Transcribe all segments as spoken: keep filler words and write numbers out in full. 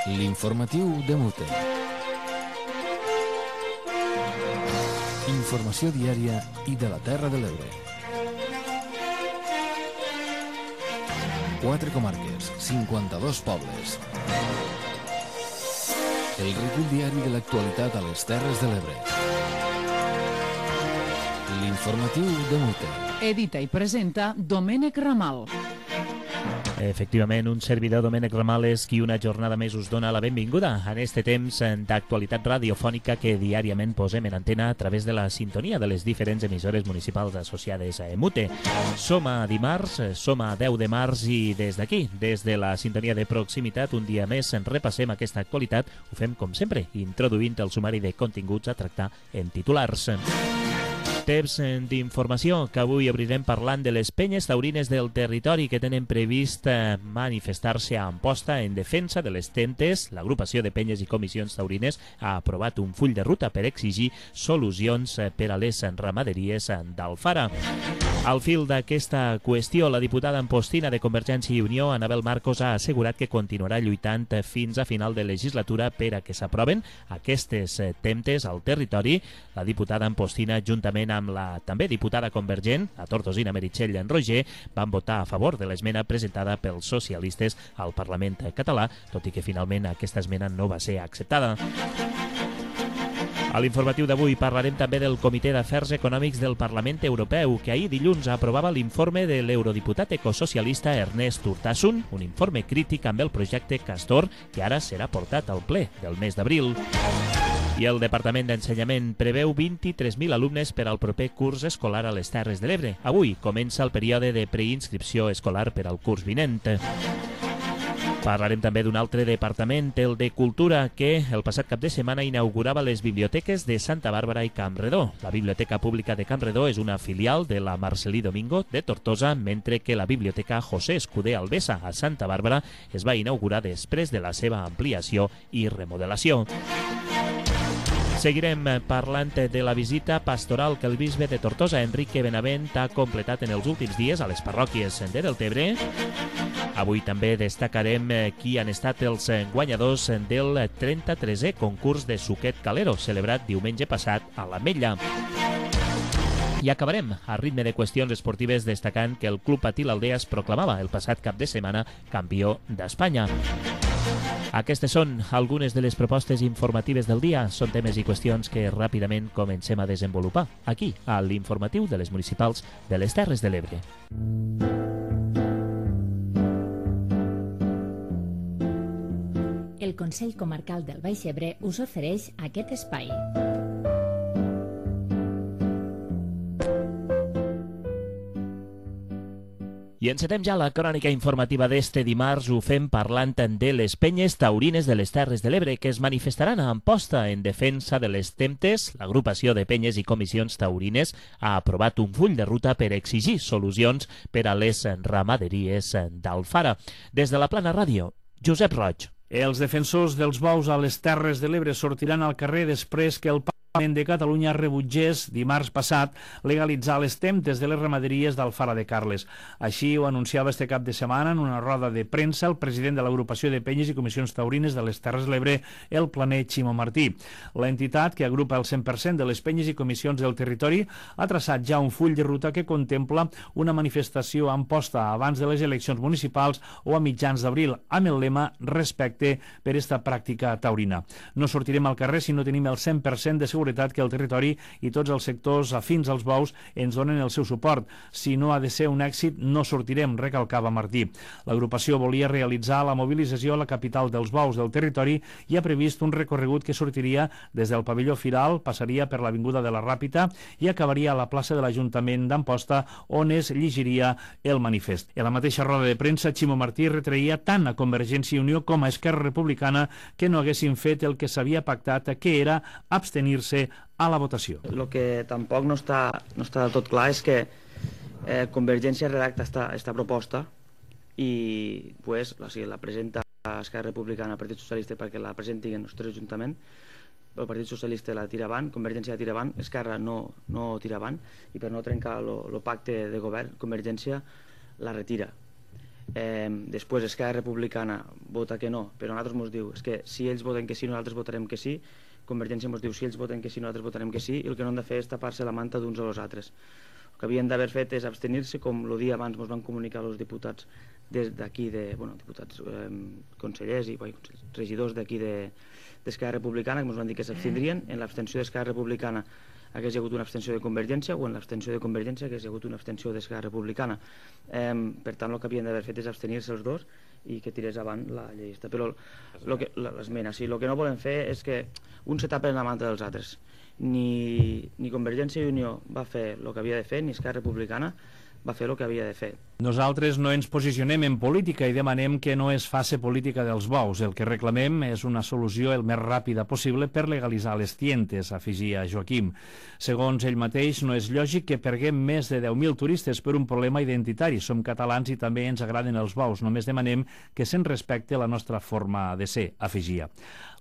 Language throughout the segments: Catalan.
L'informatiu de Mute. Informació diària i de la Terra de l'Ebre. Quatre comarques, cinquanta-dos pobles. El recull diari de l'actualitat a les Terres de l'Ebre. L'informatiu de Mute. Edita i presenta Domènec Ramal. Efectivament, un servidor, Domènec Ramal, és qui una jornada més us dona la benvinguda en este temps d'actualitat radiofònica que diàriament posem en antena a través de la sintonia de les diferents emissores municipals associades a Mute. Som a dimarts, som a deu de març i des d'aquí, des de la sintonia de proximitat, un dia més en repassem aquesta actualitat. Ho fem com sempre, introduint el sumari de continguts a tractar en titulars. Temps d'informació, que avui obrirem parlant de les penyes taurines del territori que tenen previst manifestar-se a Amposta en defensa de les tentes. L'agrupació de penyes i comissions taurines ha aprovat un full de ruta per exigir solucions per a les ramaderies d'Alfara. Al fil d'aquesta qüestió, la diputada ampostina de Convergència i Unió, Anabel Marcos, ha assegurat que continuarà lluitant fins a final de legislatura per a que s'aproven aquestes temptes al territori. La diputada ampostina, juntament amb la també diputada convergent, la tortosina Meritxell Roger, van votar a favor de l'esmena presentada pels socialistes al Parlament català, tot i que finalment aquesta esmena no va ser acceptada. A l'informatiu d'avui parlarem també del Comitè d'Afers Econòmics del Parlament Europeu, que ahir dilluns aprovava l'informe de l'eurodiputat ecosocialista Ernest Urtasun, un informe crític amb el projecte Castor, que ara serà portat al ple del mes d'abril. I el Departament d'Ensenyament preveu vint-i-tres mil alumnes per al proper curs escolar a les Terres de l'Ebre. Avui comença el període de preinscripció escolar per al curs vinent. Parlarem també d'un altre departament, el de Cultura, que el passat cap de setmana inaugurava les biblioteques de Santa Bàrbara i Campredó. La Biblioteca Pública de Campredó és una filial de la Marcelí Domingo de Tortosa, mentre que la Biblioteca José Escudé Albesa a Santa Bàrbara es va inaugurar després de la seva ampliació i remodelació. Seguirem parlant de la visita pastoral que el bisbe de Tortosa, Enrique Benavent, ha completat en els últims dies a les parròquies de Deltebre. Avui també destacarem qui han estat els guanyadors del trenta-tresè concurs de Suquet Calero, celebrat diumenge passat a l'Ametlla. I acabarem a ritme de qüestions esportives destacant que el Club Patí l'Aldea es proclamava el passat cap de setmana campió d'Espanya. Aquestes són algunes de les propostes informatives del dia. Són temes i qüestions que ràpidament comencem a desenvolupar aquí, a l'informatiu de les municipals de les Terres de l'Ebre. El Consell Comarcal del Baix Ebre us ofereix aquest espai. I encetem ja la crònica informativa d'este dimarts. Ho fem parlant de les penyes taurines de les Terres de l'Ebre, que es manifestaran a Amposta en defensa de les temptes. L'agrupació de penyes i comissions taurines ha aprovat un full de ruta per exigir solucions per a les ramaderies d'Alfara. Des de la Plana Ràdio, Josep Roig. Els defensors dels bous a les Terres de l'Ebre sortiran al carrer després que el Parlament de Catalunya rebutgés dimarts passat legalitzar les temptes de les ramaderies d'Alfara de Carles. Així ho anunciava este cap de setmana en una roda de premsa el president de l'agrupació de penyes i comissions taurines de les Terres de l'Ebre, el planer Ximo Martí. L'entitat, que agrupa el cent per cent de les penyes i comissions del territori, ha traçat ja un full de ruta que contempla una manifestació a Amposta abans de les eleccions municipals o a mitjans d'abril, amb el lema respecte per esta pràctica taurina. No sortirem al carrer si no tenim el cent per cent de seguretat que el territori i tots els sectors afins als bous ens donen el seu suport. Si no ha de ser un èxit, no sortirem, recalcava Martí. L'agrupació volia realitzar la mobilització a la capital dels bous del territori i ha previst un recorregut que sortiria des del pavelló Firal, passaria per l'Avinguda de la Ràpita i acabaria a la plaça de l'Ajuntament d'Amposta, on es llegiria el manifest. A la mateixa roda de premsa, Ximo Martí retreia tant a Convergència i Unió com a Esquerra Republicana que no haguessin fet el que s'havia pactat, que era abstenir-se a la votació. El que tampoc no està, no està del tot clar és que eh, Convergència redacta esta, esta proposta i pues, la, si la presenta Esquerra Republicana al Partit Socialista perquè la presentin en el nostre Ajuntament, el Partit Socialista la tira avant, Convergència la tira avant, Esquerra no, no tira avant, i per no trencar el pacte de govern, Convergència la retira. eh, després Esquerra Republicana vota que no, però a nosaltres ens diu és que si ells voten que sí, nosaltres votarem que sí, Convergència ens diu si ells voten que sí, nosaltres votarem que sí, i el que no han de fer és tapar-se la manta d'uns o els altres. El que havien d'haver fet és abstenir-se, com el dia abans ens van comunicar els diputats des d'aquí, de, bueno, diputats eh, consellers i bueno, regidors d'aquí d'Esquerra Republicana, que ens van dir que s'abstindrien. En l'abstenció d'Esquerra Republicana hagués hi hagut una abstenció de Convergència, o en l'abstenció de Convergència hagués hi hagut una abstenció d'Esquerra Republicana. Eh, per tant, el que havien d'haver fet és abstenir-se els dos i que tirés avant la llei. Però l'esmena, sí, el que no volem fer és que un se tapen la manta dels altres. Ni, ni Convergència i Unió va fer el que havia de fer, ni Esquerra Republicana va fer el que havia de fer. Nosaltres no ens posicionem en política i demanem que no es faci política dels bous. El que reclamem és una solució el més ràpida possible per legalitzar les tientes, afegia Joaquim. Segons ell mateix, no és lògic que perguem més de deu mil turistes per un problema identitari. Som catalans i també ens agraden els bous. Només demanem que se'n respecte la nostra forma de ser, afegia.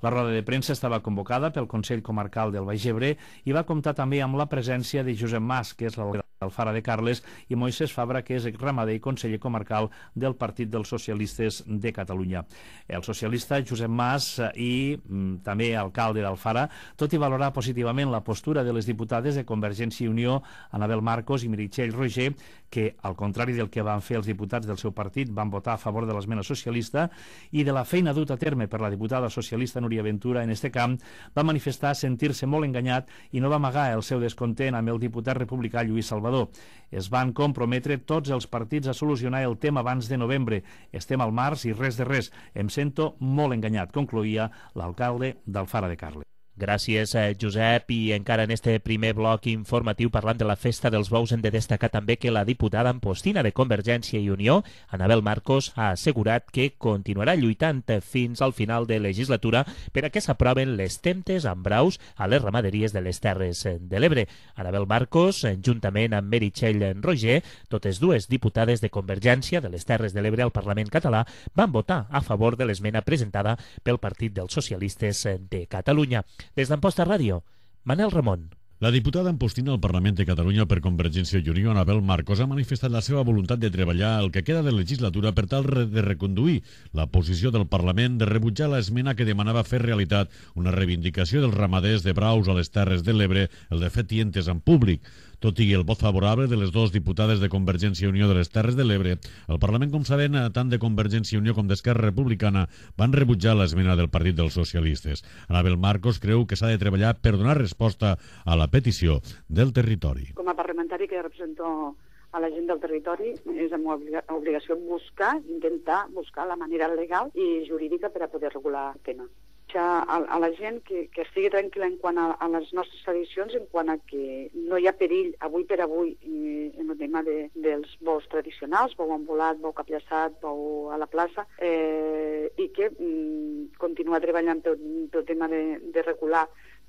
La roda de premsa estava convocada pel Consell Comarcal del Baix Ebre i va comptar també amb la presència de Josep Mas, que és l'alcalde d'Alfara de Carles, i Moisés Fabra, que és ramader i conseller comarcal del Partit dels Socialistes de Catalunya. El socialista Josep Mas i mm, també alcalde d'Alfara, tot i valorar positivament la postura de les diputades de Convergència i Unió, Anabel Marcos i Meritxell Roger, que, al contrari del que van fer els diputats del seu partit, van votar a favor de l'esmena socialista, i de la feina duta a terme per la diputada socialista Núria Ventura en este camp, va manifestar sentir-se molt enganyat i no va amagar el seu descontent amb el diputat republicà Lluís Salvador. Es van comprometre tots els partits a solucionar el tema abans de novembre. Estem al març i res de res. Em sento molt enganyat, concloïa l'alcalde d'Alfara de Carles. Gràcies, Josep. I encara en este primer bloc informatiu parlant de la Festa dels Bous hem de destacar també que la diputada ampostina de Convergència i Unió, Anabel Marcos, ha assegurat que continuarà lluitant fins al final de legislatura per a que s'aproven les temptes amb braus a les ramaderies de les Terres de l'Ebre. Anabel Marcos, juntament amb Meritxell Roger, totes dues diputades de Convergència de les Terres de l'Ebre al Parlament català, van votar a favor de l'esmena presentada pel Partit dels Socialistes de Catalunya. Des d'Amposta Ràdio, Manel Ramon. La diputada ampostina al Parlament de Catalunya per Convergència i Unió, Anabel Marcos, ha manifestat la seva voluntat de treballar el que queda de legislatura per tal de reconduir la posició del Parlament de rebutjar l'esmena que demanava fer realitat una reivindicació dels ramaders de braus a les Terres de l'Ebre, el de fer tientes en públic. Tot i el vot favorable de les dues diputades de Convergència i Unió de les Terres de l'Ebre, el Parlament, com sabem, tant de Convergència i Unió com d'Esquerra Republicana van rebutjar l'esmena del Partit dels Socialistes. Anabel Marcos creu que s'ha de treballar per donar resposta a la petició del territori. Com a parlamentari que represento a la gent del territori, és la meva obligació buscar, intentar buscar la manera legal i jurídica per a poder regular el tema. A, a la gent que, que estigui tranquil·la en quant a, a les nostres tradicions, en quant a que no hi ha perill avui per avui eh, en el tema de, dels bous tradicionals, bou ambulat, bou capllaçat, bou a la plaça, eh, i que mm, continuar treballant pel, pel tema de, de regular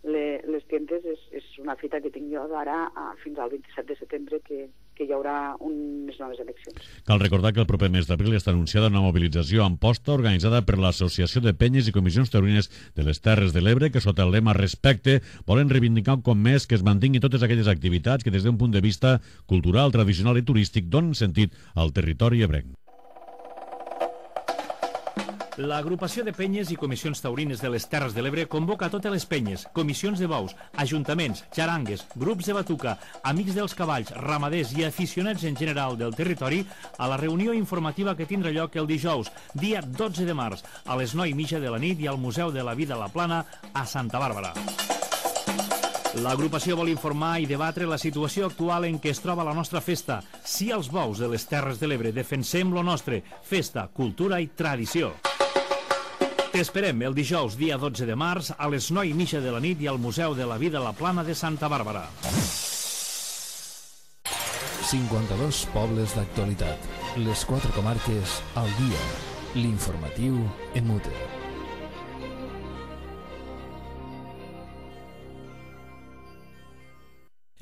le, les tientes és, és una fita que tinc jo d'ara fins al vint-i-set de setembre, que, que hi haurà unes noves eleccions. Cal recordar que el proper mes d'abril està anunciada una mobilització a Amposta organitzada per l'Associació de Penyes i Comissions Taurines de les Terres de l'Ebre, que sota el lema Respecte volen reivindicar un cop més que es mantinguin totes aquelles activitats que des d'un punt de vista cultural, tradicional i turístic donen sentit al territori ebrenc. L'agrupació de penyes i comissions taurines de les Terres de l'Ebre convoca totes les penyes, comissions de bous, ajuntaments, xarangues, grups de batuca, amics dels cavalls, ramaders i aficionats en general del territori a la reunió informativa que tindrà lloc el dijous, dia dotze de març, a les nou i mitja de la nit i al Museu de la Vida a la Plana a Santa Bàrbara. L'agrupació vol informar i debatre la situació actual en què es troba la nostra festa. Sí als bous de les Terres de l'Ebre, defensem lo nostre, festa, cultura i tradició. T'esperem el dijous, dia dotze de març, a les nou i mitja de la nit i al Museu de la Vida a la Plana de Santa Bàrbara. cinquanta-dos pobles d'actualitat. Les quatre comarques al dia. L'informatiu en Mute.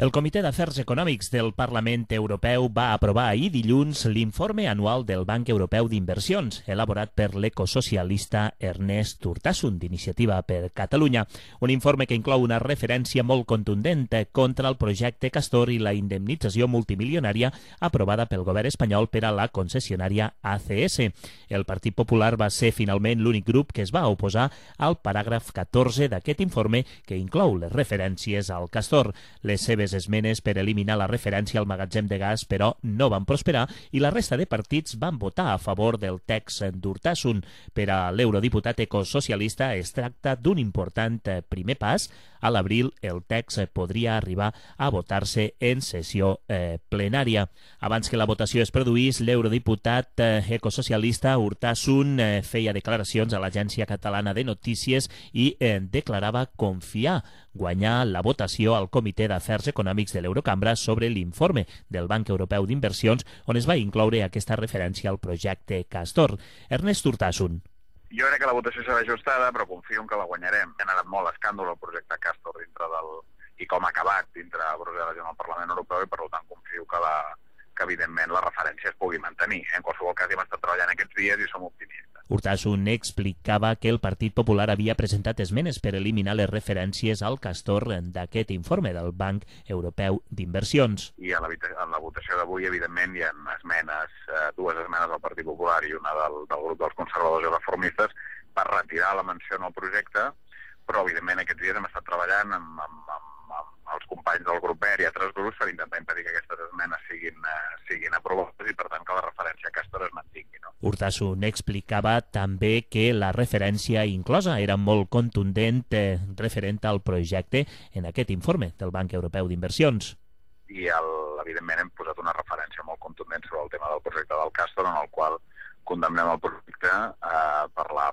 El Comitè d'Afers Econòmics del Parlament Europeu va aprovar ahir dilluns l'informe anual del Banc Europeu d'Inversions, elaborat per l'ecosocialista Ernest Urtasun, d'Iniciativa per Catalunya. Un informe que inclou una referència molt contundent contra el projecte Castor i la indemnització multimilionària aprovada pel govern espanyol per a la concessionària A C S. El Partit Popular va ser finalment l'únic grup que es va oposar al paràgraf catorze d'aquest informe que inclou les referències al Castor. Les seves esmenes per eliminar la referència al magatzem de gas, però, no van prosperar i la resta de partits van votar a favor del text d'Urtasun. Per a l'eurodiputat ecosocialista es tracta d'un important primer pas. A l'abril el text podria arribar a votar-se en sessió eh, plenària. Abans que la votació es produís, l'eurodiputat eh, ecosocialista Urtasun eh, feia declaracions a l'Agència Catalana de Notícies i eh, declarava confiar guanyar la votació al Comitè d'Afers Econòmics de l'Eurocambra sobre l'informe del Banc Europeu d'Inversions, on es va incloure aquesta referència al projecte Castor. Ernest Urtasun. Jo crec que la votació serà ajustada, però confio en que la guanyarem. Ha anat molt escàndol el projecte Castor dintre del... i com ha acabat dintre Brussel·les i en el Parlament Europeu, i per tant confio que, la... que evidentment la referència es pugui mantenir. En qualsevol cas hem estat treballant aquests dies i som optimistes. Urtasun explicava que el Partit Popular havia presentat esmenes per eliminar les referències al Castor d'aquest informe del Banc Europeu d'Inversions. I a la, en la votació d'avui, evidentment, hi ha esmenes, eh, dues esmenes del Partit Popular i una del, del grup dels conservadors i reformistes per retirar la menció en el projecte, però, evidentment, aquests dies hem estat treballant amb, amb, amb, amb els companys del grup verd i altres grups per intentar impedir que aquestes esmenes siguin, eh, siguin aprovades i, per tant, que la referència a Castor es mantingui. No? Urtasun explicava també que la referència inclosa era molt contundent eh, referent al projecte en aquest informe del Banc Europeu d'Inversions. I, el, evidentment, hem posat una referència molt contundent sobre el tema del projecte del Castor, en el qual condemnem el projecte eh, per la,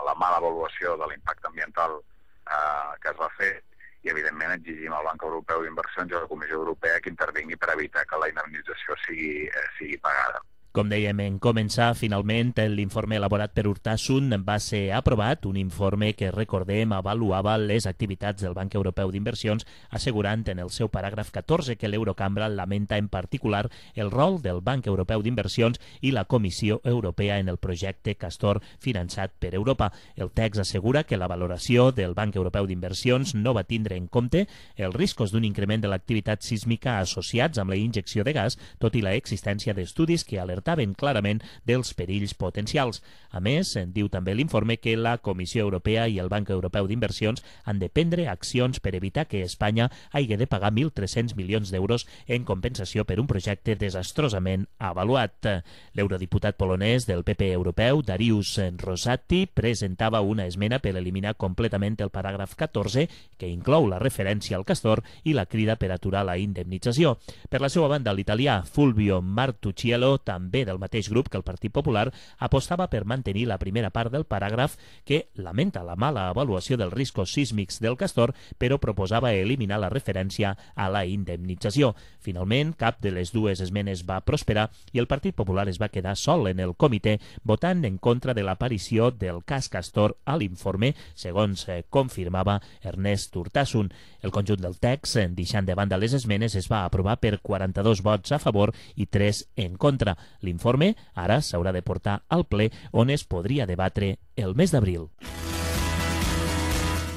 la mala avaluació de l'impacte ambiental eh, que es va fer, i, evidentment, exigim al Banc Europeu d'Inversions i a la Comissió Europea que intervingui per evitar que la indemnització sigui, eh, sigui pagada. Com dèiem en començar, finalment l'informe elaborat per Urtasun va ser aprovat, un informe que, recordem, avaluava les activitats del Banc Europeu d'Inversions, assegurant en el seu paràgraf catorze que l'Eurocambra lamenta en particular el rol del Banc Europeu d'Inversions i la Comissió Europea en el projecte Castor finançat per Europa. El text assegura que la valoració del Banc Europeu d'Inversions no va tindre en compte els riscos d'un increment de l'activitat sísmica associats amb la injecció de gas, tot i la existència d'estudis que alertaven clarament dels perills potencials. A més, diu també l'informe que la Comissió Europea i el Banc Europeu d'Inversions han de prendre accions per evitar que Espanya hagi de pagar mil tres-cents milions d'euros en compensació per un projecte desastrosament avaluat. L'eurodiputat polonès del P P europeu, Dariusz Rosati, presentava una esmena per eliminar completament el paràgraf catorze, que inclou la referència al Castor i la crida per aturar la indemnització. Per la seva banda, l'italià Fulvio Martuscello, també del mateix grup que el Partit Popular, apostava per mantenir la primera part del paràgraf que lamenta la mala avaluació dels riscos sísmics del Castor, però proposava eliminar la referència a la indemnització. Finalment, cap de les dues esmenes va prosperar i el Partit Popular es va quedar sol en el comitè, votant en contra de l'aparició del cas Castor a l'informe, segons eh, confirmava Ernest Urtasun. El conjunt del text, deixant de banda les esmenes, es va aprovar per quaranta-dos vots a favor i tres en contra. L'informe ara s'haurà de portar al ple, on es podria debatre el mes d'abril.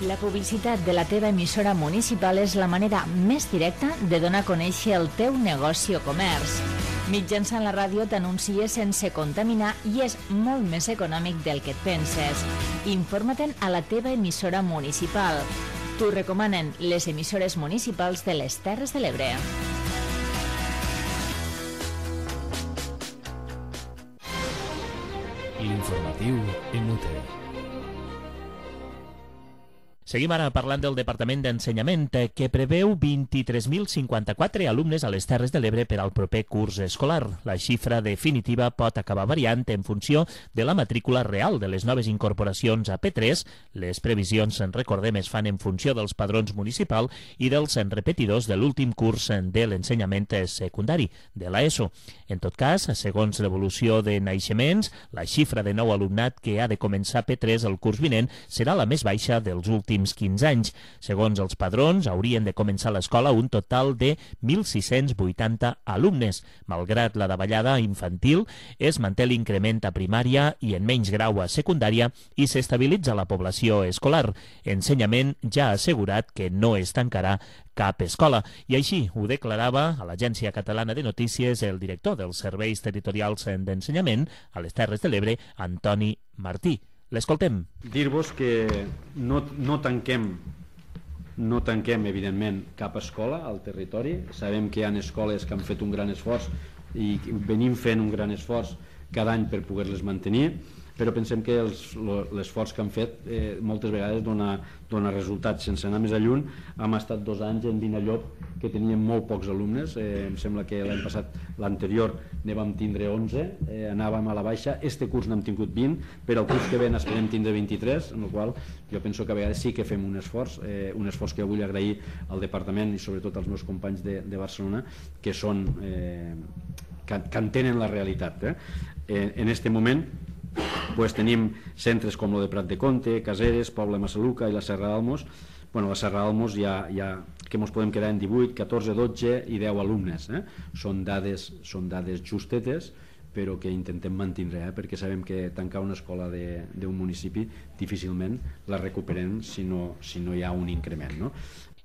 La publicitat de la teva emissora municipal és la manera més directa de donar a conèixer el teu negoci o comerç. Mitjançant la ràdio t'anuncies sense contaminar i és molt més econòmic del que et penses. Informa-te'n a la teva emissora municipal. T'ho recomanen les emissores municipals de les Terres de l'Ebre. L'informatiu Emute. Seguim ara parlant del Departament d'Ensenyament, que preveu vint-i-tres mil cinquanta-quatre alumnes a les Terres de l'Ebre per al proper curs escolar. La xifra definitiva pot acabar variant en funció de la matrícula real de les noves incorporacions a P tres. Les previsions, en recordem, es fan en funció dels padrons municipals i dels repetidors de l'últim curs de l'ensenyament secundari, de l'ESO. En tot cas, segons l'evolució de naixements, la xifra de nou alumnat que ha de començar P tres el curs vinent serà la més baixa dels últims pròxims quinze anys. Segons els padrons, haurien de començar l'escola un total de mil sis-cents vuitanta alumnes. Malgrat la davallada infantil, es manté l'increment a primària i en menys grau a secundària i s'estabilitza la població escolar. Ensenyament ja ha assegurat que no es tancarà cap escola. I així ho declarava a l'Agència Catalana de Notícies el director dels Serveis Territorials d'Ensenyament a les Terres de l'Ebre, Antoni Martí. L'escoltem. Dir-vos que no, no tanquem no tanquem, evidentment, cap escola al territori. Sabem que hi ha escoles que han fet un gran esforç i venim fent un gran esforç cada any per poder-les mantenir, però pensem que l'esforç que han fet eh, moltes vegades dona, dona resultats. Sense anar més lluny, hem estat dos anys en Vinallop que teníem molt pocs alumnes, eh, em sembla que l'any passat, l'anterior, ne vam tindre onze, eh, anàvem a la baixa, este curs n'hem tingut vint, però el curs que ve n'esperem tindre vint-i-tres, en el qual jo penso que a vegades sí que fem un esforç, eh, un esforç que vull agrair al departament i sobretot als meus companys de, de Barcelona, que són eh, que, que entenen la realitat. Eh? Eh, en este moment pues tenim centres com el de Prat de Comte, Caseres, Poble Massaluca i la Serra d'Almos. Bueno, la Serra d'Almos ja, ja que ens podem quedar en divuit, catorze, dotze i deu alumnes. Eh? Són dades, són dades justetes, però que intentem mantindre, eh? perquè sabem que tancar una escola d'un municipi difícilment la recuperem si no, si no hi ha un increment, no?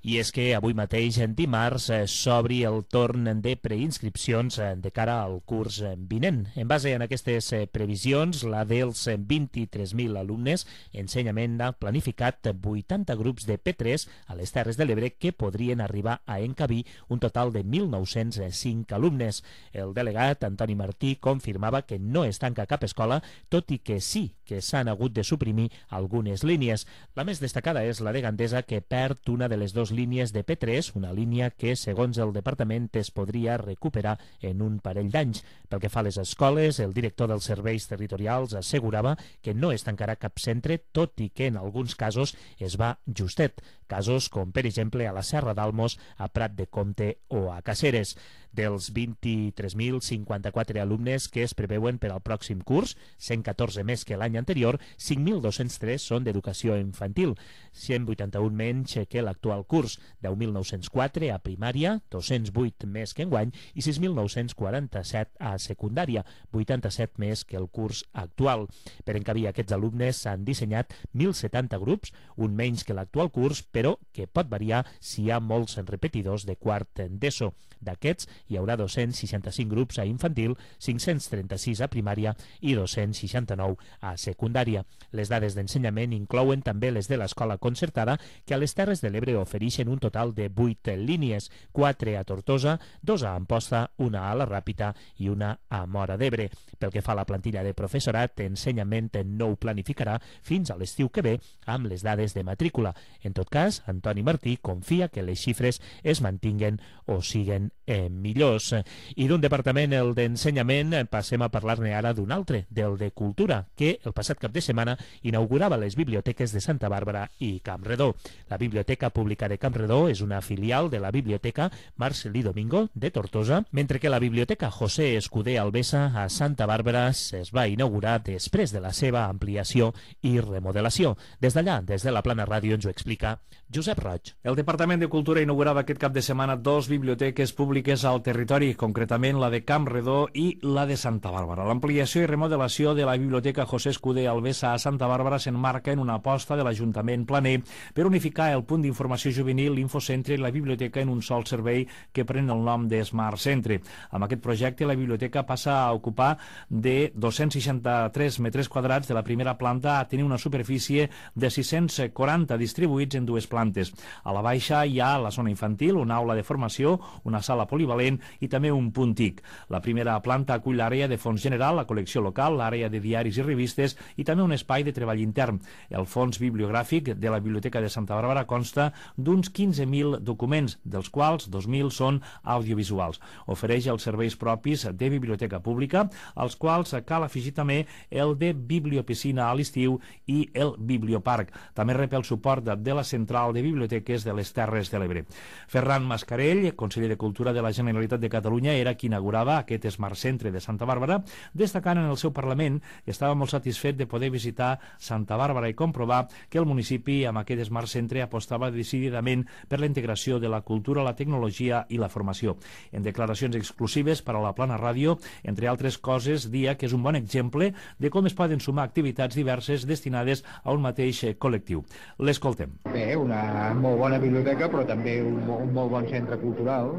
I és que avui mateix, en dimarts, s'obri el torn de preinscripcions de cara al curs vinent. En base a aquestes previsions, la dels vint-i-tres mil alumnes, Ensenyament ha planificat vuitanta grups de P tres a les Terres de l'Ebre que podrien arribar a encabir un total de mil nou-cents cinc alumnes. El delegat, Antoni Martí, confirmava que no es tanca cap escola, tot i que sí que s'han hagut de suprimir algunes línies. La més destacada és la de Gandesa, que perd una de les dues línies de P tres, una línia que, segons el departament, es podria recuperar en un parell d'anys. Pel que fa a les escoles, el director dels serveis territorials assegurava que no es tancarà cap centre, tot i que en alguns casos es va justet. Casos com, per exemple, a la Serra d'Almos, a Prat de Comte o a Caseres. Dels vint-i-tres mil cinquanta-quatre alumnes que es preveuen per al pròxim curs, cent catorze més que l'any anterior, cinc mil dos-cents tres són d'educació infantil, cent vuitanta-un menys que l'actual curs, deu mil nou-cents quatre a primària, dos-cents vuit més que enguany i sis mil nou-cents quaranta-set a secundària, vuitanta-set més que el curs actual. Per encabir aquests alumnes s'han dissenyat mil setanta grups, un menys que l'actual curs, però que pot variar si hi ha molts repetidors de quart d'ESO. D'aquests, hi haurà dos-cents seixanta-cinc grups a infantil, cinc-cents trenta-sis a primària i dos-cents seixanta-nou a secundària. Les dades d'ensenyament inclouen també les de l'escola concertada, que a les Terres de l'Ebre ofereixen un total de vuit línies, quatre a Tortosa, dos a Amposta, una a la Ràpita i una a Móra d'Ebre. Pel que fa a la plantilla de professorat, Ensenyament no ho planificarà fins a l'estiu que ve amb les dades de matrícula. En tot cas, Antoni Martí confia que les xifres es mantinguen o siguen eh, millors. I d'un departament, el d'Ensenyament, passem a parlar-ne ara d'un altre, del de Cultura, que el passat cap de setmana inaugurava les biblioteques de Santa Bàrbara i Campredó. La Biblioteca Pública de Campredó és una filial de la Biblioteca Marcelí Domingo de Tortosa, mentre que la Biblioteca José Escudé Albesa a Santa Bàrbara es va inaugurar després de la seva ampliació i remodelació. Des d'allà, des de la Plana Ràdio, ens ho explica Josep Roig. El Departament de Cultura inaugurava aquest cap de setmana dos biblioteques públiques al territori, concretament la de Campredó i la de Santa Bàrbara. L'ampliació i remodelació de la Biblioteca José Escudé Albesa a Santa Bàrbara s'enmarca en una aposta de l'Ajuntament planer per unificar el punt d'informació juvenil, l'Infocentre i la biblioteca en un sol servei que pren el nom de Smart Centre. Amb aquest projecte, la biblioteca passa a ocupar de dos-cents seixanta-tres metres quadrats de la primera planta a tenir una superfície de sis-cents quaranta distribuïts en dues plantes. A la baixa hi ha la zona infantil, una aula de formació, una sala polivalent i també un punt T I C. La primera planta acull l'àrea de fons general, la col·lecció local, l'àrea de diaris i revistes i també un espai de treball intern. El fons bibliogràfic de la Biblioteca de Santa Bàrbara consta d'uns quinze mil documents, dels quals dos mil són audiovisuals. Ofereix els serveis propis de biblioteca pública, als quals cal afegir també el de bibliopiscina a l'estiu i el biblioparc. També rep el suport de la Central de Biblioteques de les Terres de l'Ebre. Ferran Mascarell, conseller de Cultura de la Generalitat Generalitat de Catalunya era qui inaugurava aquest Smart Centre de Santa Bàrbara, destacant en el seu Parlament que estava molt satisfet de poder visitar Santa Bàrbara i comprovar que el municipi amb aquest Smart Centre apostava decididament per la integració de la cultura, la tecnologia i la formació. En declaracions exclusives per a la Plana Ràdio, entre altres coses, dia que és un bon exemple de com es poden sumar activitats diverses destinades a un mateix col·lectiu. L'escoltem. Bé, una molt bona biblioteca, però també un, un molt bon centre cultural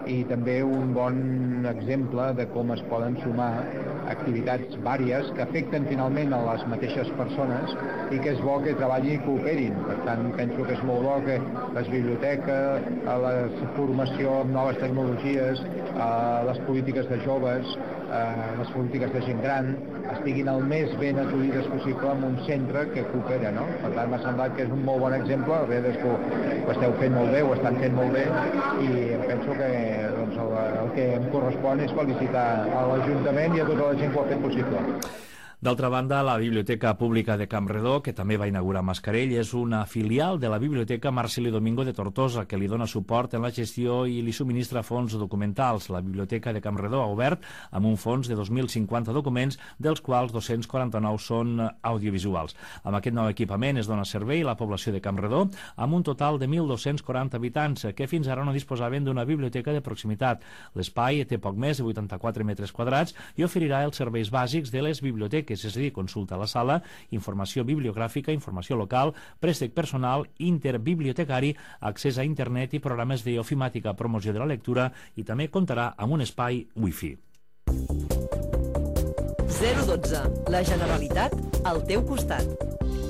i també un bon exemple de com es poden sumar activitats vàries que afecten finalment a les mateixes persones i que és bo que treballin i cooperin. Per tant, penso que és molt bo que les biblioteques, la formació amb noves tecnologies, les polítiques de joves, les polítiques de gent gran, estiguin el més ben assolides possible en un centre que coopera, no? Per tant, m'ha semblat que és un molt bon exemple, la veritat és que ho esteu fent molt bé, ho estan fent molt bé, i penso que doncs, el, el que em correspon és felicitar a l'Ajuntament i a tota la gent que ho ha fet possible. D'altra banda, la Biblioteca Pública de Campredó, que també va inaugurar Mascarell, és una filial de la Biblioteca Marceli Domingo de Tortosa, que li dona suport en la gestió i li subministra fons documentals. La Biblioteca de Campredó ha obert amb un fons de dos mil cinquanta documents, dels quals dos-cents quaranta-nou són audiovisuals. Amb aquest nou equipament es dona servei a la població de Campredó, amb un total de mil dos-cents quaranta habitants, que fins ara no disposaven d'una biblioteca de proximitat. L'espai té poc més de vuitanta-quatre metres quadrats i oferirà els serveis bàsics de les biblioteques, és a dir, consulta a la sala, informació bibliogràfica, informació local, préstec personal, interbibliotecari, accés a internet i programes d'ofimàtica, promoció de la lectura, i també comptarà amb un espai wifi. zero dotze. La Generalitat al teu costat.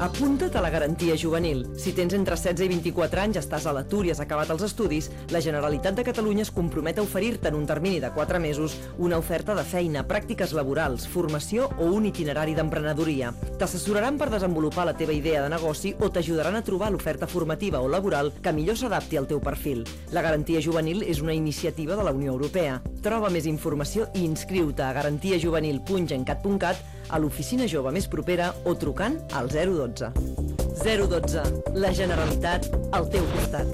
Apunta't a la garantia juvenil. Si tens entre setze i vint-i-quatre anys, estàs a l'atur i has acabat els estudis, la Generalitat de Catalunya es compromet a oferir-te en un termini de quatre mesos una oferta de feina, pràctiques laborals, formació o un itinerari d'emprenedoria. T'assessoraran per desenvolupar la teva idea de negoci o t'ajudaran a trobar l'oferta formativa o laboral que millor s'adapti al teu perfil. La garantia juvenil és una iniciativa de la Unió Europea. Troba més informació i inscriu-te a garantiajuvenil punt gencat punt cat, a l'oficina jove més propera o trucant al zero dotze. zero dotze. La Generalitat al teu costat.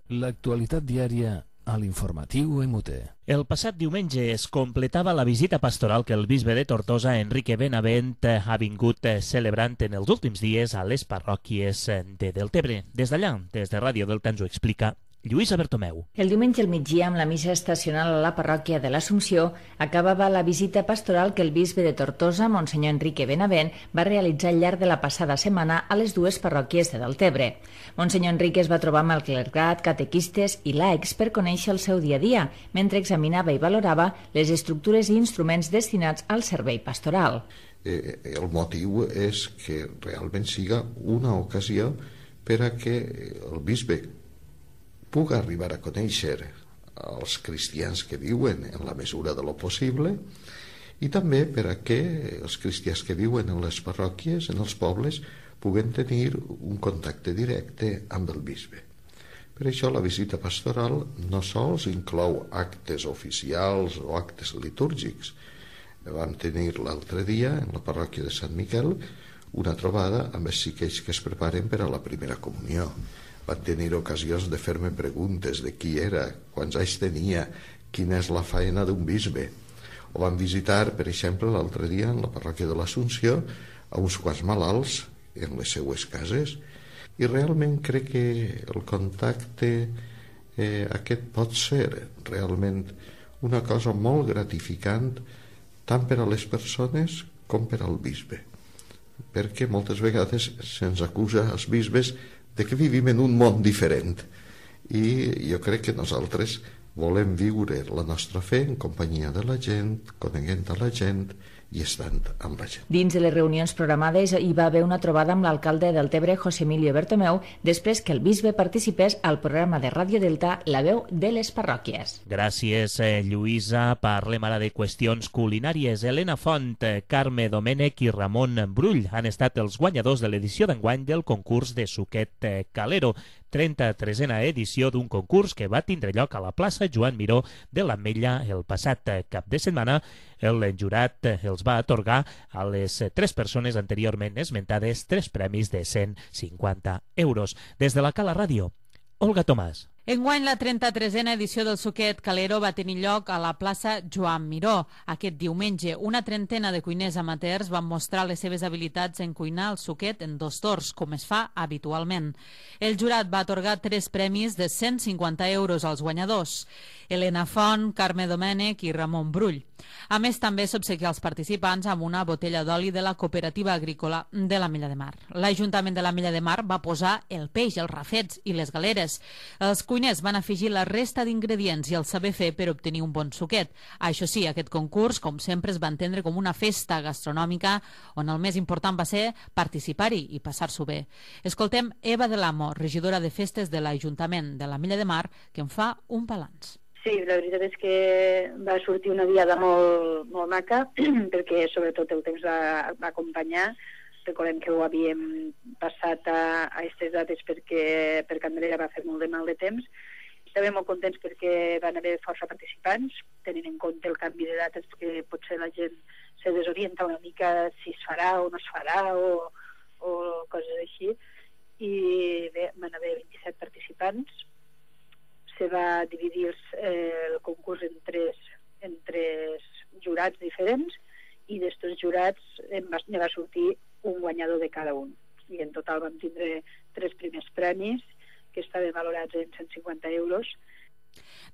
L'actualitat diària a l'informatiu E M U T E. El passat diumenge es completava la visita pastoral que el bisbe de Tortosa, Enrique Benavent, ha vingut celebrant en els últims dies a les parròquies de Deltebre. Des d'allà, des de Ràdio Delta, ens ho explica Lluïsa Bertomeu. El diumenge al migdia, amb la missa estacional a la parròquia de l'Assumpció, acabava la visita pastoral que el bisbe de Tortosa, Monsenyor Enrique Benavent, va realitzar al llarg de la passada setmana a les dues parròquies de Deltebre. Monsenyor Enrique es va trobar amb el clergat, catequistes i laics per conèixer el seu dia a dia, mentre examinava i valorava les estructures i instruments destinats al servei pastoral. Eh, el motiu és que realment siga una ocasió per a que el bisbe puga arribar a conèixer els cristians que viuen en la mesura de lo possible i també per a que els cristians que viuen en les parròquies, en els pobles, puguen tenir un contacte directe amb el bisbe. Per això la visita pastoral no sols inclou actes oficials o actes litúrgics. Vam tenir l'altre dia, en la parròquia de Sant Miquel, una trobada amb els xiquets que es preparen per a la primera comunió. Van tenir ocasions de fer-me preguntes de qui era, quants anys tenia, quina és la faena d'un bisbe. O van visitar, per exemple, l'altre dia en la parròquia de l'Assumpció a uns quants malalts en les seues cases. I realment crec que el contacte eh, aquest pot ser realment una cosa molt gratificant tant per a les persones com per al bisbe. Perquè moltes vegades se'ns acusa als bisbes de que vivim en un món diferent i jo crec que nosaltres volem viure la nostra fe en companyia de la gent, coneguent a la gent i estant amb la gent. Dins de les reunions programades hi va haver una trobada amb l'alcalde de Deltebre, José Emilio Bertomeu, després que el bisbe participés al programa de Ràdio Delta La veu de les parròquies. Gràcies, eh, Lluïsa. Parlem ara de qüestions culinàries. Helena Font, Carme Domènech i Ramon Brull han estat els guanyadors de l'edició d'enguany del concurs de suquet Calero, trenta-tresena edició d'un concurs que va tindre lloc a la plaça Joan Miró de l'Ametlla el passat cap de setmana. El jurat els va atorgar a les tres persones anteriorment esmentades tres premis de cent cinquanta euros. Des de la Cala Ràdio, Olga Tomàs. Enguany, la trenta-tresena edició del Suquet Calero va tenir lloc a la plaça Joan Miró. Aquest diumenge, una trentena de cuiners amateurs van mostrar les seves habilitats en cuinar el suquet en dos torns, com es fa habitualment. El jurat va atorgar tres premis de cent cinquanta euros als guanyadors: Helena Font, Carme Domènech i Ramon Brull. A més, també s'obsequia als participants amb una botella d'oli de la Cooperativa Agrícola de la Mella de Mar. L'Ajuntament de la Mella de Mar va posar el peix, els rafets i les galeres. Els cuiners van afegir la resta d'ingredients i el saber fer per obtenir un bon suquet. Això sí, aquest concurs, com sempre, es va entendre com una festa gastronòmica on el més important va ser participar-hi i passar-s'ho bé. Escoltem Eva de l'Amo, regidora de festes de l'Ajuntament de la Mella de Mar, que en fa un balanç. Sí, la veritat és que va sortir una diada molt, molt maca, perquè sobretot el temps va, va acompanyar. Recordem que ho havíem passat a aquestes dates perquè per Candelera va fer molt de mal de temps. Estàvem molt contents perquè van haver força participants, tenint en compte el canvi de dates, que potser la gent se desorienta una mica si es farà o no es farà o, o coses així. I bé, van haver vint-i-set participants. Se va dividir eh, el concurs en tres, en tres jurats diferents i d'estos jurats en va, ne va sortir un guanyador de cada un. I en total vam tindre tres primers premis que estaven valorats en cent cinquanta euros.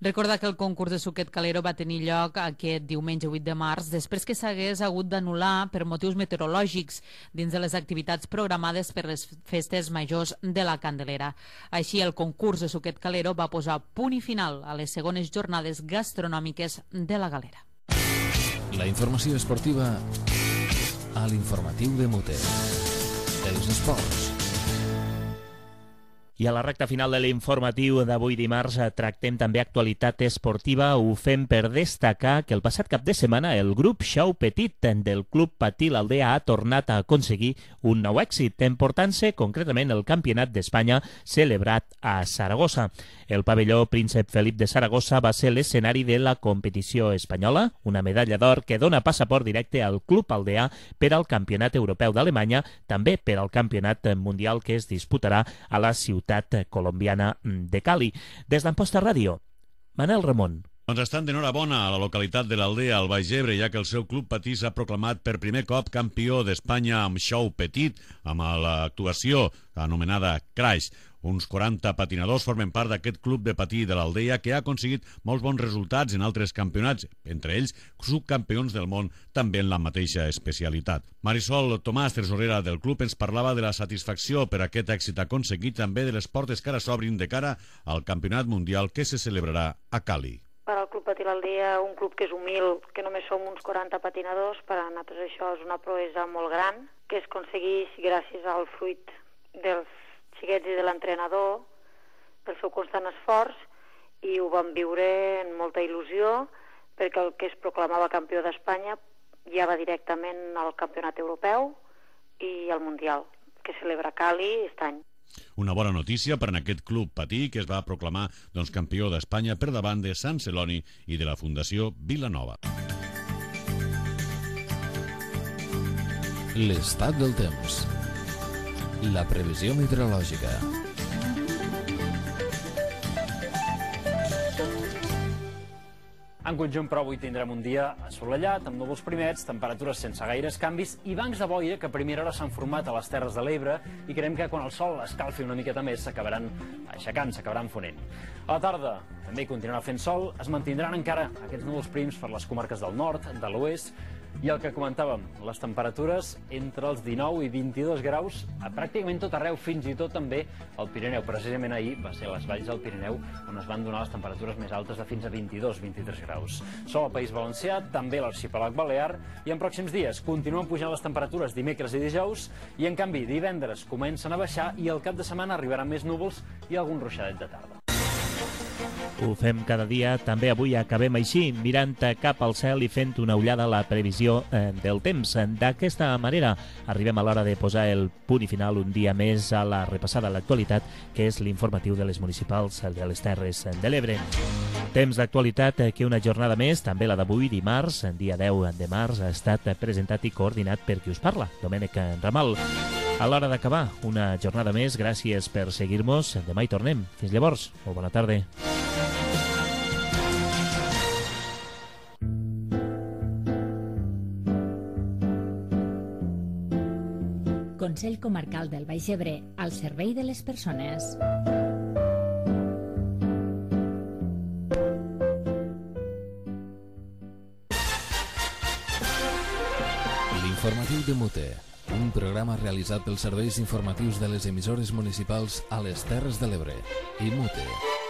Recordar que el concurs de Suquet Calero va tenir lloc aquest diumenge vuit de març després que s'hagués hagut d'anul·lar per motius meteorològics dins de les activitats programades per les festes majors de la Candelera. Així, el concurs de Suquet Calero va posar punt i final a les segones jornades gastronòmiques de la Galera. La informació esportiva a l'informatiu de Mute. Els esports. I a la recta final de l'informatiu d'avui dimarts tractem també actualitat esportiva. Ho fem per destacar que el passat cap de setmana el grup Xau Petit del Club Patí l'Aldea ha tornat a aconseguir un nou èxit, emportant-se concretament el Campionat d'Espanya celebrat a Saragossa. El pavelló Príncep Felip de Saragossa va ser l'escenari de la competició espanyola, una medalla d'or que dona passaport directe al Club Aldea per al Campionat Europeu d'Alemanya, també per al Campionat Mundial que es disputarà a la ciutat colombiana de Cali. Des d'Amposta Ràdio, Manel Ramon. Doncs estan d'enhorabona a la localitat de l'Aldea, al Baix Ebre, ja que el seu club patí s'ha proclamat per primer cop campió d'Espanya amb Xau Petit, amb l'actuació anomenada Crash. Uns quaranta patinadors formen part d'aquest club de patí de l'Aldea que ha aconseguit molts bons resultats en altres campionats, entre ells subcampions del món també en la mateixa especialitat. Marisol Tomàs, tresorera del club, ens parlava de la satisfacció per aquest èxit aconseguit, també de les portes que ara s'obrin de cara al Campionat Mundial que se celebrarà a Cali. Per al Club Patí l'Aldea, un club que és humil, que només som uns quaranta patinadors, per a nosaltres això és una proesa molt gran, que es aconsegueix gràcies al fruit dels xiquets i de l'entrenador, pel seu constant esforç, i ho vam viure en molta il·lusió, perquè el que es proclamava campió d'Espanya ja va directament al Campionat Europeu i al Mundial, que celebra Cali aquest any. Una bona notícia per a aquest club patí que es va proclamar doncs, campió d'Espanya per davant de Sant Celoni i de la Fundació Vilanova. L'estat del temps. La previsió meteorològica. En conjunt, però, avui tindrem un dia assolellat, amb núvols primers, temperatures sense gaires canvis i bancs de boira que a primera hora s'han format a les Terres de l'Ebre i creiem que quan el sol escalfi una miqueta més s'acabaran aixecant, s'acabaran fonent. A la tarda també hi continuarà fent sol, es mantindran encara aquests núvols prims per les comarques del nord, de l'oest, i el que comentàvem, les temperatures entre els dinou i vint-i-dos graus a pràcticament tot arreu, fins i tot també al Pirineu. Precisament ahir va ser a les valls del Pirineu on es van donar les temperatures més altes de fins a vint-i-dos a vint-i-tres graus. Sol al País Valencià, també a l'arxipèlag balear, i en pròxims dies continuen pujant les temperatures dimecres i dijous, i en canvi divendres comencen a baixar i al cap de setmana arribaran més núvols i algun ruixadet de tarda. Ho fem cada dia, també avui acabem així, mirant cap al cel i fent una ullada a la previsió eh, del temps. D'aquesta manera arribem a l'hora de posar el punt i final un dia més a la repassada a l'actualitat, que és l'informatiu de les municipals de les Terres de l'Ebre. Temps d'actualitat que una jornada més, també la d'avui, dimarts, dia deu de març, ha estat presentat i coordinat per qui us parla, Domènec Ramal. A l'hora d'acabar, una jornada més. Gràcies per seguir-nos. Demà hi tornem. Fins llavors. Molt bona tarda. Consell Comarcal del Baix Ebre, al servei de les persones. L'informatiu de Mute, un programa realitzat pels serveis informatius de les emissores municipals a les Terres de l'Ebre i Mute.